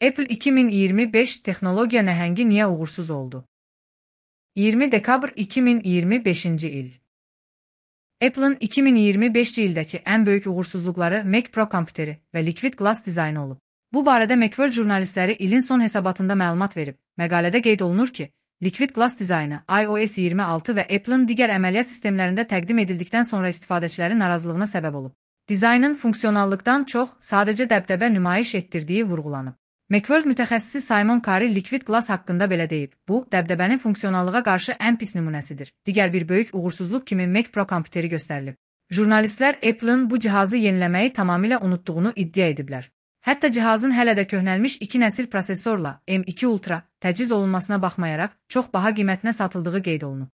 Apple 2025 texnologiya nəhəngi niyə uğursuz oldu? 20 dekabr 2025-ci il. Apple'ın 2025-ci ildəki ən böyük uğursuzluqları Mac Pro kompüteri və Liquid Glass dizaynı olub. Bu barədə Macworld jurnalistləri ilin son hesabatında məlumat verib. Məqalədə qeyd olunur ki, Liquid Glass dizaynı iOS 26 və Apple'ın digər əməliyyat sistemlərində təqdim edildikdən sonra istifadəçilərin narazılığına səbəb olub. Dizaynın funksionallıqdan çox sadəcə dəbdəbə nümayiş etdirdiyi vurğulanıb. Macworld mütəxəssisi Simon Carey Liquid Glass haqqında belə deyib. Bu, dəbdəbənin funksionallığa qarşı ən pis nümunəsidir. Digər bir böyük uğursuzluq kimi Mac Pro kompüteri göstərilib. Jurnalistlər Apple'ın bu cihazı yeniləməyi tamamilə unutduğunu iddia ediblər. Hətta cihazın hələ də köhnəlmiş 2 nəsil prosesorla M2 Ultra təchiz olunmasına baxmayaraq çox baha qiymətinə satıldığı qeyd olunub.